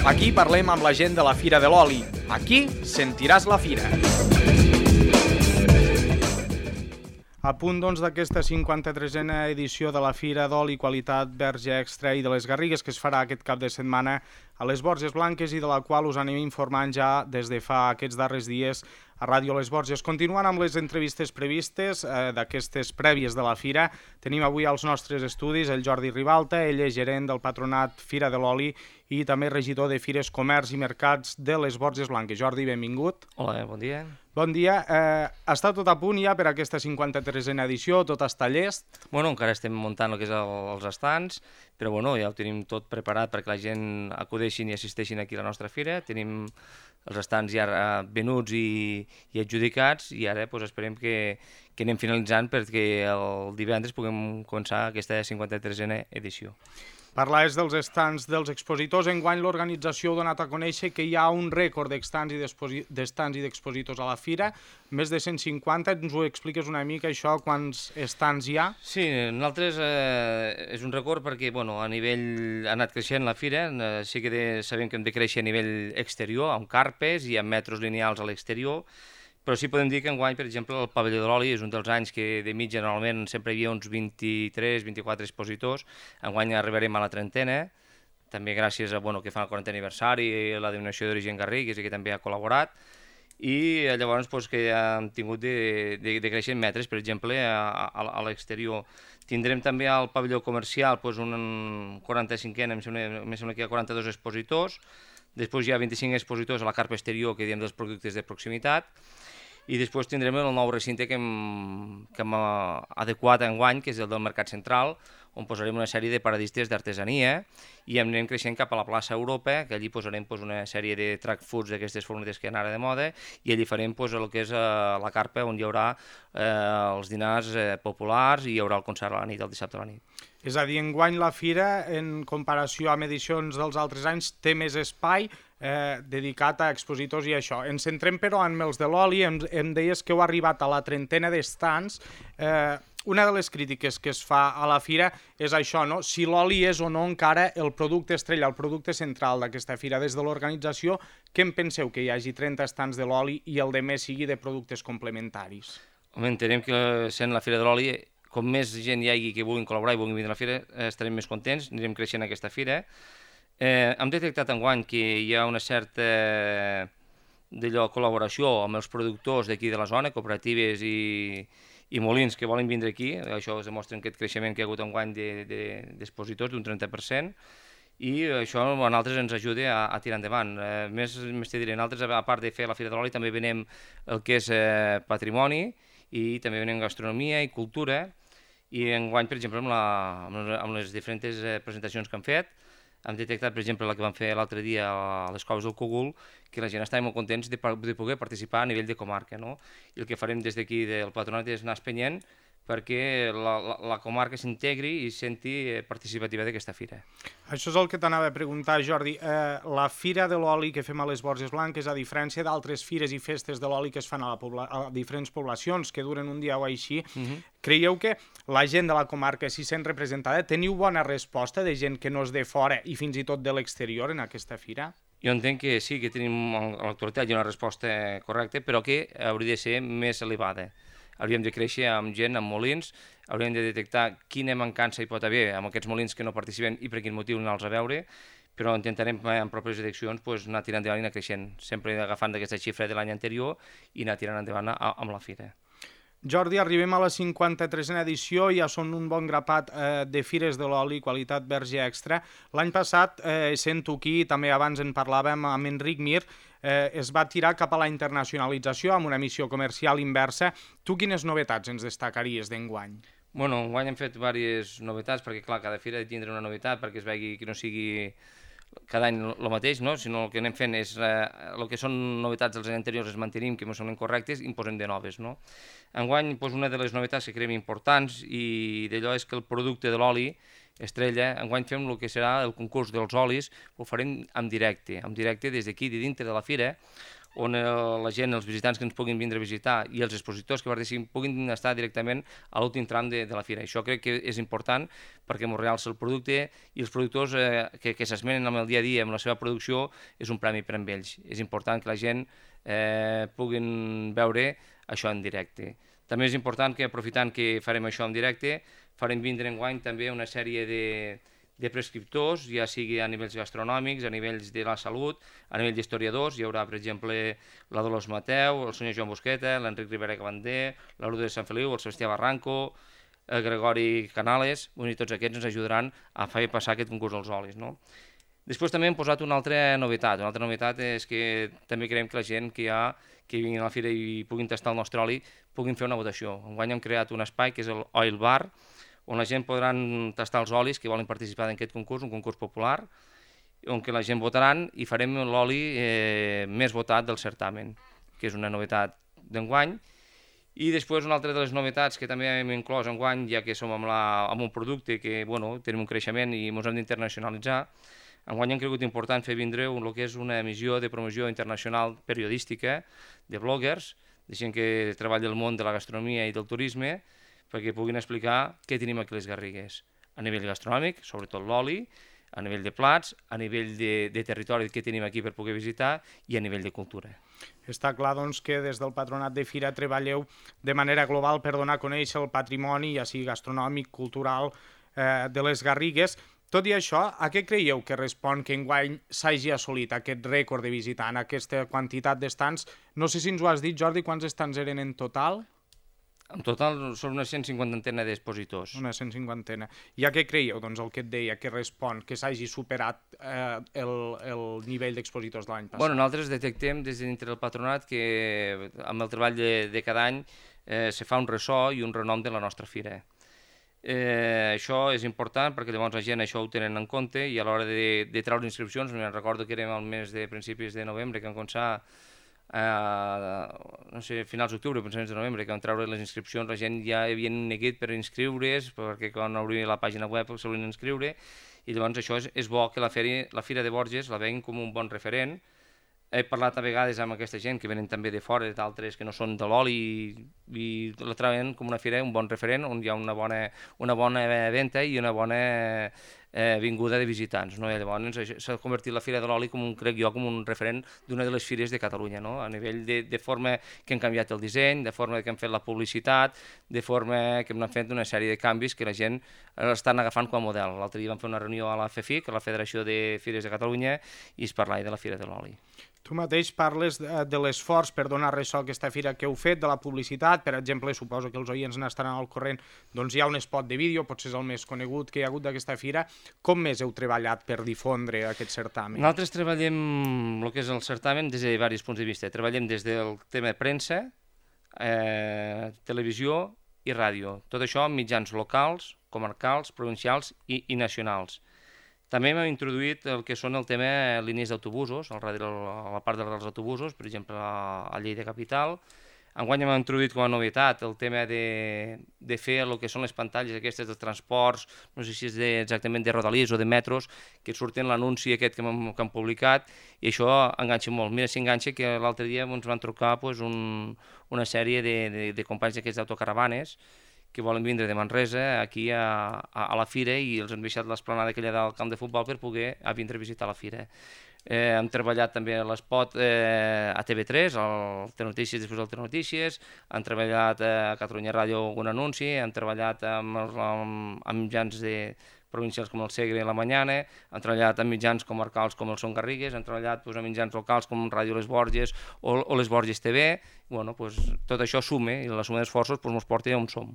Aquí parlem amb la gent de la Fira de l'Oli. Aquí sentiràs la fira. A punt d'aquesta 53a edició de la Fira d'Oli Qualitat Verge Extra i de les Garrigues que es farà aquest cap de setmana a les Borges Blanques i de la qual us anem informant ja des de fa aquests darrers dies a Ràdio Les Borges. Continuant amb les entrevistes previstes d'aquestes prèvies de la Fira, tenim avui als nostres estudis el Jordi Ribalta, ell és gerent del Patronat Fira de l'Oli i també regidor de Fires, Comerç i Mercats de les Borges Blanques. Jordi, benvingut. Hola, bon dia. Bon dia. Està tot a punt ja per aquesta 53a edició? Tot està llest? Bueno, encara estem muntant el que és els estants, però bueno, ja ho tenim tot preparat perquè la gent acudeixin i assisteixin aquí a la nostra fira. Tenim els estants ja venuts i adjudicats i ara esperem que anem finalitzant perquè el divendres puguem començar aquesta 53a edició. Parlaves dels estants dels expositors. Enguany l'organització ha donat a conèixer que hi ha un rècord d'estants i d'expositors a la fira, més de 150. Ens ho expliques una mica, això, quants estants hi ha? Sí, nosaltres és un rècord perquè a nivell ha anat creixent la fira, sí que sabem que hem de créixer a nivell exterior, amb carpes i amb metros lineals a l'exterior, però sí podem dir que enguany, per exemple, el pavelló de l'oli és un dels anys que de mitja normalment sempre hi havia uns 23-24 expositors. Enguany arribarem a la trentena, també gràcies a que fan el 40è aniversari i la denominació d'origen Garrigues i que també ha col·laborat. I llavors que hem tingut de créixer en metres, per exemple, a l'exterior. Tindrem també al pavelló comercial un 45è, em sembla que hi ha 42 expositors. Després hi ha 25 expositors a la carpa exterior, que diem dels productes de proximitat, i després tindrem el nou recinte que hem adequat enguany, que és el del Mercat Central, on posarem una sèrie de paradistes d'artesania i anem creixent cap a la plaça Europa, que allí posarem una sèrie de track foods d'aquestes furgonetes que han ara de moda, i allí farem el que és la carpa on hi haurà els dinars populars i hi haurà el concert a la nit, el dissabte a la nit. És a dir, enguany la fira, en comparació amb edicions dels altres anys, té més espai dedicat a expositors i això. Ens centrem, però, en els de l'oli. Em deies que heu arribat a la trentena d'estants. Una de les crítiques que es fa a la fira és això, no? Si l'oli és o no encara el producte estrella, el producte central d'aquesta fira. Des de l'organització, què en penseu que hi hagi 30 estants de l'oli i el de més sigui de productes complementaris? Home, entenem que sent la Fira de l'Oli, com més gent hi hagi que vulguin col·laborar i vulguin vindre a la fira, estarem més contents, anirem creixent aquesta fira. Hem detectat enguany que hi ha una certa col·laboració amb els productors d'aquí de la zona, cooperatives i molins que volen vindre aquí. Això es demostra aquest creixement que hi ha hagut enguany d'expositors d'un 30%, i això a nosaltres ens ajuda a tirar endavant. Més te diré, nosaltres, a part de fer la Fira de l'Oli, també venem el que és patrimoni i també venem gastronomia i cultura. I enguany, per exemple, amb les diferents presentacions que han fet, hem detectat, per exemple, la que vam fer l'altre dia a les Coves del Cogul, que la gent estava molt contents de poder participar a nivell de comarca, no? I el que farem des d'aquí del Patronat és anar espenyent perquè la comarca s'integri i senti participativa d'aquesta fira. Això és el que t'anava a preguntar, Jordi. La Fira de l'Oli que fem a les Borges Blanques, a diferència d'altres fires i festes de l'oli que es fan a diferents poblacions, que duren un dia o així, creieu que la gent de la comarca s'hi sent representada? Teniu bona resposta de gent que no és de fora i fins i tot de l'exterior en aquesta fira? Jo entenc que sí, que tenim a l'actualitat una resposta correcta, però que hauria de ser més elevada. Hauríem de créixer amb gent, amb molins, hauríem de detectar quina mancança hi pot haver amb aquests molins que no participen i per quin motiu anar-los a veure, però intentarem en properes edicions anar tirant endavant i anar creixent, sempre agafant d'aquesta xifra de l'any anterior i anar tirant endavant amb la fira. Jordi, arribem a la 53a edició, ja són un bon grapat de fires de l'oli, qualitat verge extra. L'any passat, sent-ho aquí, també abans en parlàvem amb Enric Mir, es va tirar cap a la internacionalització amb una missió comercial inversa. Tu quines novetats ens destacaries d'enguany? Bueno, enguany hem fet diverses novetats, perquè clar, cada fira ha de tindre una novetat perquè es vegi que no sigui cada any el mateix, no? Sinó el que anem fent és el que són novetats dels anys anteriors es mantenim, que ens són correctes, i en posem de noves, no? Enguany, una de les novetats que creiem importants i d'allò és que el producte de l'oli estrella, enguany fem el que serà el concurs dels olis, ho farem en directe des d'aquí, de dintre de la fira, on la gent, els visitants que ens puguin vindre a visitar i els expositors que participin puguin estar directament a l'últim tram de la fira. Això crec que és important perquè ens realça el producte i els productors que s'esmenen amb el dia a dia, amb la seva producció, és un premi per a ells. És important que la gent puguin veure això en directe. També és important que, aprofitant que farem això en directe, farem vindre enguany també una sèrie de prescriptors, ja sigui a nivells gastronòmics, a nivells de la salut, a nivell d'historiadors. Hi haurà, per exemple, la Dolors Mateu, el senyor Joan Busqueta, l'Enric Rivera Cabander, la Lourdes de Sant Feliu, el Sebastià Barranco, el Gregori Canales, i tots aquests ens ajudaran a fer passar aquest concurs dels olis, no? Després també hem posat una altra novetat. Una altra novetat és que també creiem que la gent que vinguin a la fira i puguin tastar el nostre oli puguin fer una votació. Enguany hem creat un espai que és el Oil Bar, on la gent podrà tastar els olis que volen participar en aquest concurs, un concurs popular, on que la gent votaran i farem l'oli més votat del certamen, que és una novetat d'enguany. I després una altra de les novetats que també hem inclòs enguany, ja que som amb un producte que tenim un creixement i ens hem d'internacionalitzar, enguany hem cregut important fer vindre el que és una emissió de promoció internacional periodística de bloggers, de gent que treballa al món de la gastronomia i del turisme, perquè puguin explicar què tenim aquí a les Garrigues, a nivell gastronòmic, sobretot l'oli, a nivell de plats, a nivell de territori que tenim aquí per poder visitar i a nivell de cultura. Està clar, doncs, que des del Patronat de Fira treballeu de manera global per donar a conèixer el patrimoni, ja sigui gastronòmic, cultural, de les Garrigues. Tot i això, a què creieu que respon que enguany s'hagi assolit aquest rècord de visitant, aquesta quantitat d'estants? No sé si ens ho has dit, Jordi, quants estants eren en total? En total són una 150 d'expositors. Una 150. I a què creieu, doncs, el que et deia, que respon, que s'hagi superat el nivell d'expositors de l'any passat? Bueno, nosaltres detectem des de dintre del patronat que amb el treball de cada any se fa un ressò i un renom de la nostra fira. Això és important perquè llavors la gent això ho tenen en compte i a l'hora de treure inscripcions, me'n recordo que érem al mes de principis de novembre que vam començar no sé, finals d'octubre, principis de novembre, que vam treure les inscripcions, la gent ja havia neguit per inscriure's, perquè quan obria la pàgina web se volien inscriure, i llavors això és bo que la Fira de Borges la veguin com un bon referent. He parlat a vegades amb aquesta gent que venen també de fora, d'altres que no són de l'oli, i la troben com una fira, un bon referent, on hi ha una bona venda i una bona vinguda de visitants. No? I llavors s'ha convertit la Fira de l'Oli, crec jo, com un referent d'una de les fires de Catalunya, no? A nivell de forma que han canviat el disseny, de forma que han fet la publicitat, de forma que han fet una sèrie de canvis que la gent estan agafant com a model. L'altre dia vam fer una reunió a la FEFIC, a la Federació de Fires de Catalunya, i es parlava de la Fira de l'Oli. Tu mateix parles de l'esforç per donar ressò a aquesta fira que heu fet, de la publicitat. Per exemple, suposo que els oients n'estaran al corrent, doncs hi ha un spot de vídeo, potser és el més conegut que hi ha hagut d'aquesta fira. Com més heu treballat per difondre aquest certamen? Nosaltres treballem el que és el certamen des de diversos punts de vista. Treballem des del tema de premsa, televisió i ràdio. Tot això en mitjans locals, comarcals, provincials i nacionals. També hem introduït el que són el tema línies d'autobusos, a la part dels autobusos, per exemple a Lleida Capital. Enguany hem introduït com a novetat el tema de fer el que són les pantalles aquestes dels transports, no sé si és exactament de rodalies o de metros, que surten l'anunci aquest que han publicat, i això enganxa molt. Mira si enganxa que l'altre dia ens van trucar una sèrie de companys d'aquests d'autocaravanes que volen vindre de Manresa aquí a la fira i els han deixat l'esplanada aquella del camp de futbol per poder vindre a visitar la fira. Hem treballat també a l'espot a TV3, al Telenotícies després del Telenotícies, han treballat a Catalunya Ràdio algun anunci, han treballat amb mitjans provincials com el Segre i la Mañana, han treballat amb mitjans comarcals com el Son Garrigues, han treballat amb mitjans locals com Ràdio Les Borges o Les Borges TV. Tot això suma i la suma d'esforços ens porta on som.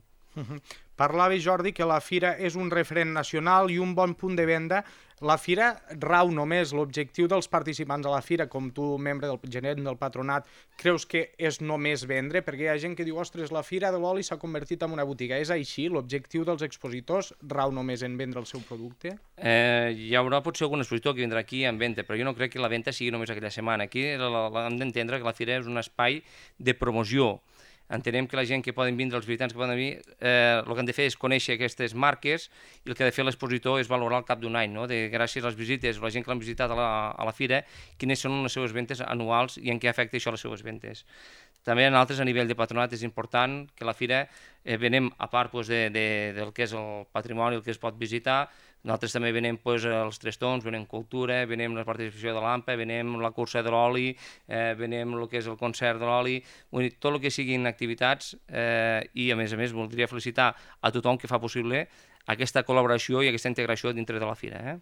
Parlava, Jordi, que la fira és un referent nacional i un bon punt de venda. La fira rau només, l'objectiu dels participants a la fira, com tu, membre del gerent del patronat, creus que és només vendre? Perquè hi ha gent que diu, ostres, la fira de l'oli s'ha convertit en una botiga. És així? L'objectiu dels expositors rau només en vendre el seu producte? Hi haurà potser algun expositor que vindrà aquí en venda, però jo no crec que la venda sigui només aquella setmana. Aquí hem d'entendre que la fira és un espai de promoció. Entenem que la gent que poden vindre, els visitants que poden venir, el que han de fer és conèixer aquestes marques i el que ha de fer l'expositor és valorar al cap d'un any, no? Gràcies a les visites, la gent que l'han visitat a la fira, quines són les seves ventes anuals i en què afecta això les seves ventes. També en altres, a nivell de patronat, és important que la fira venem, a part del que és el patrimoni, el que es pot visitar, nosaltres també venem els Tres Tombs, venem cultura, venem la participació de l'AMPA, venem la cursa de l'oli, venem el que és el concert de l'oli, tot el que siguin activitats i a més voldria felicitar a tothom que fa possible aquesta col·laboració i aquesta integració dintre de la fira.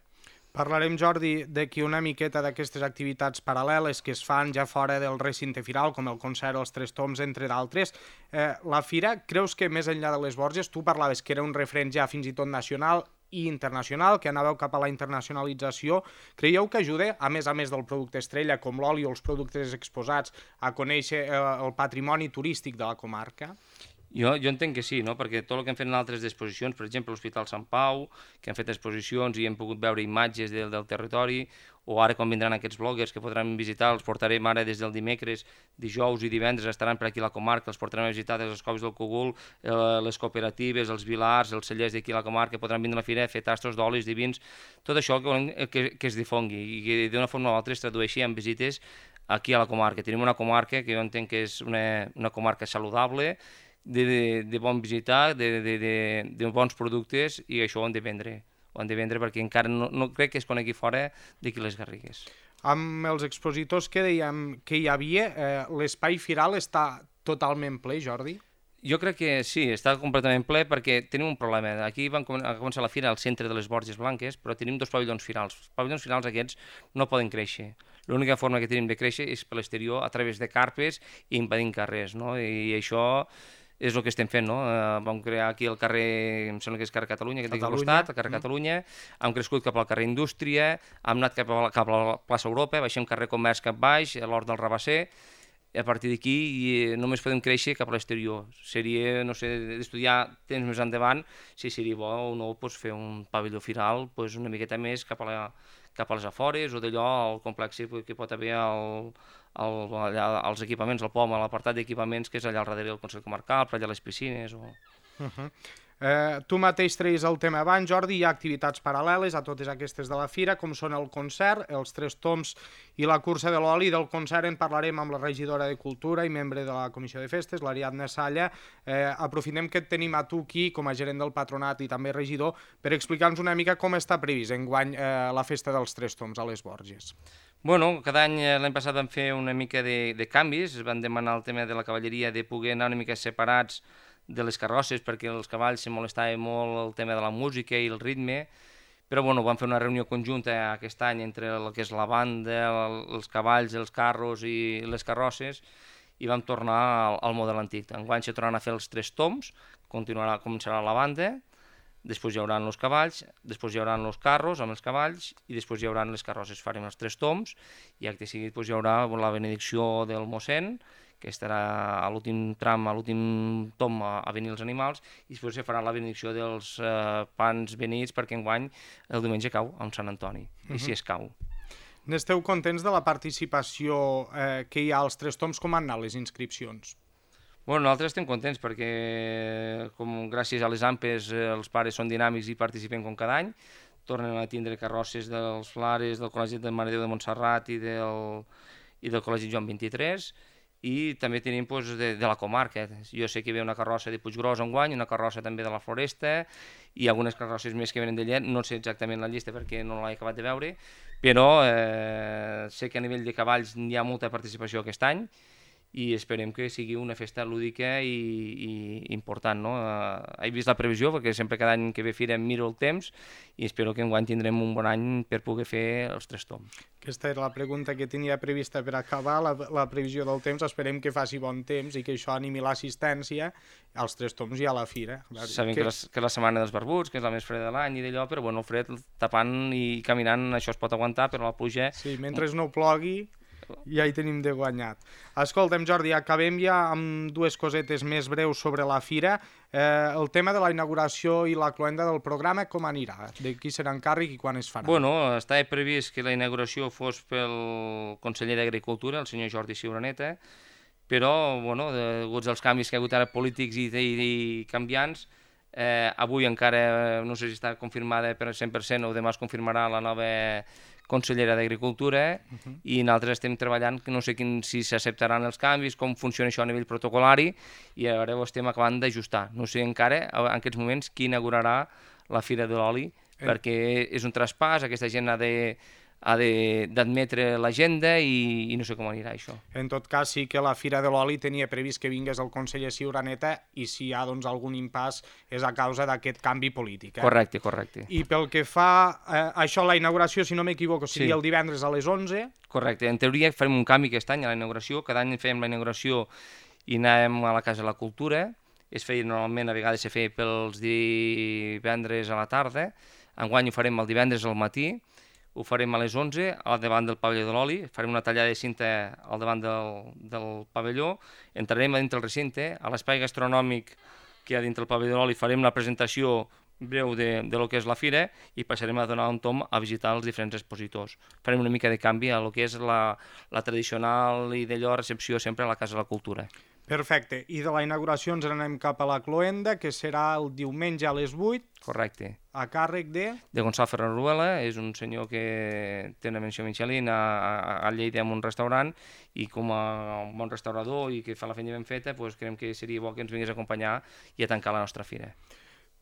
Parlarem, Jordi, d'aquí una miqueta d'aquestes activitats paral·leles que es fan ja fora del recinte firal, com el concert Els Tres Tombs, entre d'altres. La fira, creus que més enllà de les Borges, tu parlaves que era un referent ja fins i tot nacional i internacional, que anàveu cap a la internacionalització, creieu que ajuda, a més del producte estrella, com l'oli o els productes exposats, a conèixer el patrimoni turístic de la comarca? Jo entenc que sí, no? Perquè tot el que hem fet en altres exposicions, per exemple, l'Hospital Sant Pau, que hem fet exposicions i hem pogut veure imatges del territori, o ara quan vindran aquests bloggers que podran visitar, els portarem ara des del dimecres, dijous i divendres estaran per aquí a la comarca, els portarem a visitar des les coves del Cogul, les cooperatives, els vilars, els cellers d'aquí a la comarca, podran vindre a la fira a fer tastos d'olis divins, tot això que es difongui i que d'una forma o altra es tradueixi en visites aquí a la comarca. Tenim una comarca que jo entenc que és una comarca saludable, de bon visitar, de bons productes, i això ho han de vendre. Ho han de vendre perquè encara no crec que es conegui fora d'aquí les Garrigues. Amb els expositors que dèiem que hi havia, l'espai firal està totalment ple, Jordi? Jo crec que sí, està completament ple perquè tenim un problema. Aquí van començar la fira al centre de les Borges Blanques, però tenim dos pavellons firals. Els pavellons firals aquests no poden créixer. L'única forma que tenim de créixer és per l'exterior, a través de carpes i impedint carrers, no? I això és el que estem fent, no? Vam crear aquí el carrer, em sembla que és carrer Catalunya, que té aquí al costat, el carrer Catalunya, hem crescut cap al carrer Indústria, hem anat cap a la plaça Europa, baixem carrer Comerç cap baix, a l'Hort del Rabasser, i a partir d'aquí només podem créixer cap a l'exterior. Seria, no sé, d'estudiar temps més endavant, si seria bo o no fer un pavelló firal una miqueta més cap a les afores o d'allò al complex que pot haver allà als equipaments, al POM, a l'apartat d'equipaments que és allà al darrere del Consell Comarcal, per allà les piscines o... Tu mateix treies el tema abans, Jordi, hi ha activitats paral·leles a totes aquestes de la fira, com són el concert, els Tres Tombs i la cursa de l'oli. Del concert en parlarem amb la regidora de Cultura i membre de la Comissió de Festes, l'Ariadna Salla. Aprofitem que et tenim a tu aquí, com a gerent del patronat i també regidor, per explicar-nos una mica com està previst enguany la festa dels Tres Tombs a les Borges. Bueno, cada any, l'any passat vam fer una mica de canvis, van demanar el tema de la cavalleria de poder anar una mica separats de les carrosses perquè els cavalls se molestaven molt el tema de la música i el ritme, però bueno, vam fer una reunió conjunta aquest any entre el que és la banda, els cavalls, els carros i les carrosses i vam tornar al model antic. Enguany se tornaran a fer els Tres Tombs, començarà la banda, després hi haurà els cavalls, després hi haurà els carros amb els cavalls i després hi haurà les carrosses. Farem els Tres Tombs i acte seguit hi haurà la benedicció del mossèn, que estarà a l'últim tram, a l'últim tom a venir els animals, i després se farà la benedicció dels pans benits perquè enguany el diumenge cau amb Sant Antoni, i si es cau. N'esteu contents de la participació que hi ha als Tres Tombs? Com han anat les inscripcions? Bueno, nosaltres estem contents perquè gràcies a les AMPes els pares són dinàmics i participen com cada any, tornen a tindre carrosses dels Flares, del Col·legi de Mare de Déu de Montserrat i del Col·legi Joan 23, i també tenim de la comarca. Jo sé que hi ha una carrossa de Puiggròs enguany, una carrossa també de la Floresta i algunes carrosses més que venen de Llet, no sé exactament la llista perquè no l'he acabat de veure, però sé que a nivell de cavalls hi ha molta participació aquest any i esperem que sigui una festa lúdica i important, no? He vist la previsió perquè sempre cada any que ve fira miro el temps i espero que enguany tindrem un bon any per poder fer els Tres Tombs. Aquesta era la pregunta que tenia prevista per acabar, la previsió del temps. Esperem que faci bon temps i que això animi l'assistència als Tres Tombs i a la fira. Sabem que és la setmana dels barbuts, que és la més freda de l'any i d'allò, però bueno, el fred tapant i caminant això es pot aguantar, però la pluja... Sí, mentre no plogui ja hi tenim de guanyat. Escolta'm, Jordi, acabem ja amb dues cosetes més breus sobre la fira. El tema de la inauguració i la cloenda del programa, com anirà? De qui serà encàrrec i quan es farà? Bueno, estava previst que la inauguració fos pel conseller d'Agricultura, el senyor Jordi Ciuraneta, però, bueno, deguts als canvis que hi ha hagut ara polítics i canviants, avui encara no sé si està confirmada per 100% o demà es confirmarà la nova consellera d'Agricultura i nosaltres estem treballant, no sé si s'acceptaran els canvis, com funciona això a nivell protocolari i ara ho estem acabant d'ajustar. No sé encara en aquests moments qui inaugurarà la Fira de l'Oli, perquè és un traspàs, aquesta gent ha d'admetre l'agenda i no sé com anirà això. En tot cas, sí que la Fira de l'Oli tenia previst que vingués el conseller Ciuraneta i si hi ha algun impàs és a causa d'aquest canvi polític. Correcte. I pel que fa a això, la inauguració, si no m'equivoco, seria el divendres a les 11. Correcte. En teoria farem un canvi aquest any a la inauguració. Cada any fèiem la inauguració i anàvem a la Casa de la Cultura. Es feia normalment, a vegades se feia pels divendres a la tarda. Enguany ho farem el divendres al matí. Ho farem a les 11, al davant del pavelló de l'oli, farem una tallada de cinta al davant del pavelló, entrarem a dintre el recinte, a l'espai gastronòmic que hi ha dintre el pavelló de l'oli farem la presentació breu de lo que és la fira i passarem a donar un tom a visitar els diferents expositors. Farem una mica de canvi a lo que és la tradicional i d'allò recepció sempre a la Casa de la Cultura. Perfecte. I de la inauguració ens anem cap a la cloenda, que serà el diumenge a les 8. Correcte. A càrrec de Gonçalo Ferraruela, és un senyor que té una menció Michelin a Lleida en un restaurant i com a bon restaurador i que fa la feina ben feta, creiem que seria bo que ens vingués a acompanyar i a tancar la nostra fira.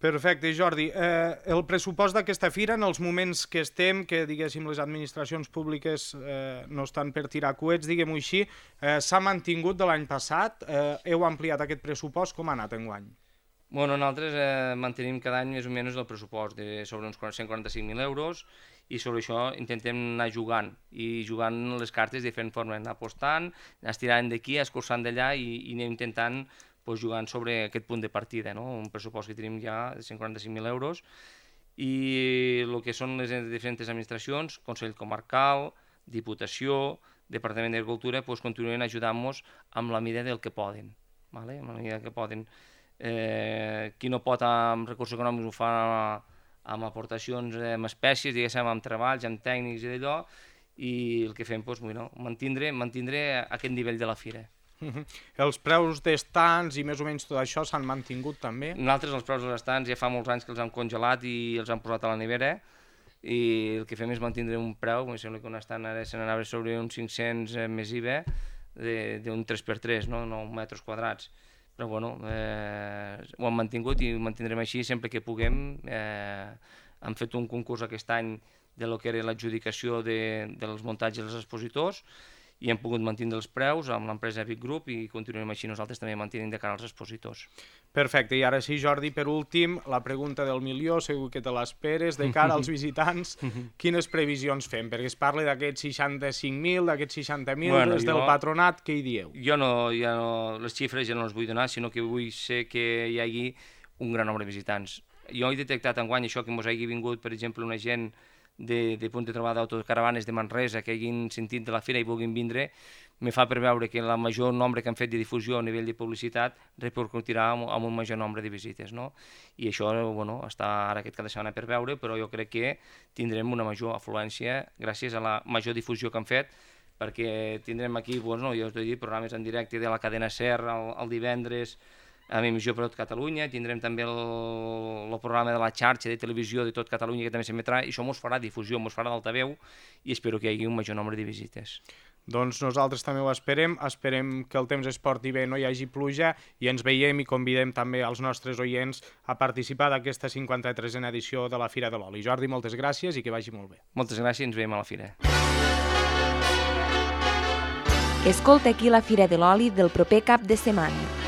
Perfecte, Jordi. El pressupost d'aquesta fira, en els moments que estem, que diguéssim les administracions públiques no estan per tirar coets, diguem-ho així, s'ha mantingut de l'any passat? Heu ampliat aquest pressupost? Com ha anat enguany? Bueno, nosaltres mantenim cada any més o menys el pressupost de sobre uns 145.000 euros i sobre això intentem anar jugant i jugant les cartes de diferent forma, anar apostant, anar estirant d'aquí, escurçant d'allà i anem intentant jugant sobre aquest punt de partida, un pressupost que tenim ja de 145.000 euros i el que són les diferents administracions, Consell Comarcal, Diputació, Departament d'Agricultura, continuen ajudant-nos amb la mida del que poden. Amb la mida que poden. Qui no pot amb recursos econòmics ho fa amb aportacions amb espècies, diguéssim, amb treballs, amb tècnics i d'allò, i el que fem és mantindre aquest nivell de la fira. Els preus d'estants i més o menys tot això s'han mantingut també? Nosaltres els preus dels estants ja fa molts anys que els hem congelat i els hem posat a la nevera i el que fem és mantindre un preu, em sembla que un estant ara se n'anava sobre uns 500 més IVA d'un 3x3, 9 metres quadrats. Però bueno, ho hem mantingut i ho mantindrem així sempre que puguem. Hem fet un concurs aquest any de lo que era l'adjudicació dels muntatges dels expositors i hem pogut mantenir els preus amb l'empresa Vic Group i continuem així nosaltres també mantenint de cara als expositors. Perfecte, i ara sí, Jordi, per últim, la pregunta del milió, segur que te l'esperes, de cara als visitants, quines previsions fem? Perquè es parla d'aquests 65.000, d'aquests 60.000, des del patronat, què hi dieu? Jo no, les xifres ja no les vull donar, sinó que vull ser que hi hagi un gran nombre de visitants. Jo he detectat enguany això que ens hagi vingut, per exemple, una gent de punt de trobada d'autocaravanes de Manresa que hagin sentit de la fira i vulguin vindre, me fa preveure que el major nombre que han fet de difusió a nivell de publicitat repercutirà amb un major nombre de visites. I això està ara aquest cap de setmana per veure, però jo crec que tindrem una major afluència gràcies a la major difusió que han fet, perquè tindrem aquí, jo us he dit, programes en directe de la cadena SER el divendres, amb emissió per tot Catalunya, tindrem també el programa de la xarxa de televisió de tot Catalunya que també s'emetrà, i això ens farà difusió, ens farà d'altaveu i espero que hi hagi un major nombre de visites. Doncs nosaltres també ho esperem que el temps es porti bé, no hi hagi pluja i ens veiem i convidem també als nostres oients a participar d'aquesta 53a edició de la Fira de l'Oli. Jordi, moltes gràcies i que vagi molt bé. Moltes gràcies i ens veiem a la fira. Escolta aquí la Fira de l'Oli del proper cap de setmana.